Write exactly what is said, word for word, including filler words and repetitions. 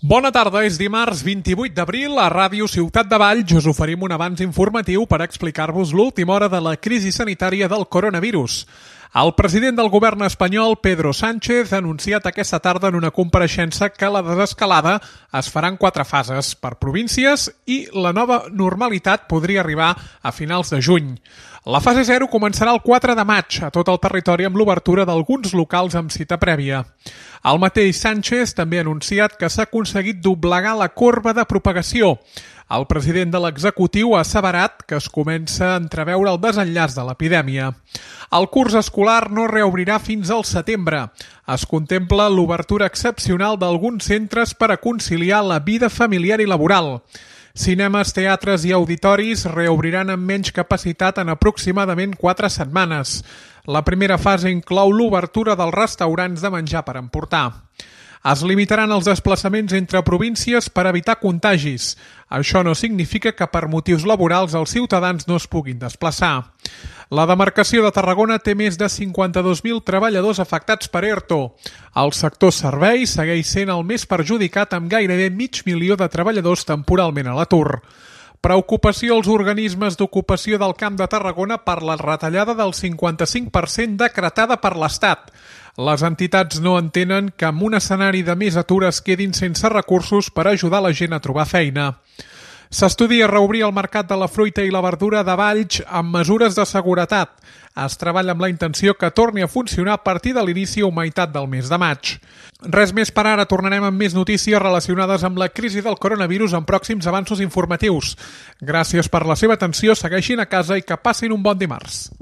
Bona tarda, és dimarts vint-i-vuit d'abril. A Ràdio Ciutat de Valls us oferim un avanç informatiu per explicar-vos l'última hora de la crisi sanitària del coronavirus. El president del govern espanyol, Pedro Sánchez, ha anunciat aquesta tarda en una compareixença que la desescalada es farà en quatre fases per províncies i la nova normalitat podria arribar a finals de juny. La fase zero començarà el quatre de maig a tot el territori amb l'obertura d'alguns locals amb cita prèvia. El mateix Sánchez també ha anunciat que s'ha aconseguit doblegar la corba de propagació. El president de l'executiu ha asseverat que es comença a entreveure el desenllaç de l'epidèmia. El curs escolar no reobrirà fins al setembre. Es contempla l'obertura excepcional d'alguns centres per a conciliar la vida familiar i laboral. Cinemes, teatres i auditoris reobriran amb menys capacitat en aproximadament quatre setmanes. La primera fase inclou l'obertura dels restaurants de menjar per emportar. Es limitaran els desplaçaments entre províncies per evitar contagis. Això no significa que per motius laborals els ciutadans no es puguin desplaçar. La demarcació de Tarragona té més de cinquanta-dos mil treballadors afectats per ERTO. El sector serveis segueix sent el més perjudicat amb gairebé mig milió de treballadors temporalment a l'atur. Preocupació als organismes d'ocupació del Camp de Tarragona per la retallada del cinquanta-cinc per cent decretada per l'Estat. Les entitats no entenen que en un escenari de més atur es quedin sense recursos per ajudar la gent a trobar feina. S'estudia reobrir el mercat de la fruita i la verdura de Valls amb mesures de seguretat. Es treballa amb la intenció que torni a funcionar a partir de l'inici o meitat del mes de maig. Res més per ara, tornarem amb més notícies relacionades amb la crisi del coronavirus en pròxims avanços informatius. Gràcies per la seva atenció, segueixin a casa i que passin un bon dimarts.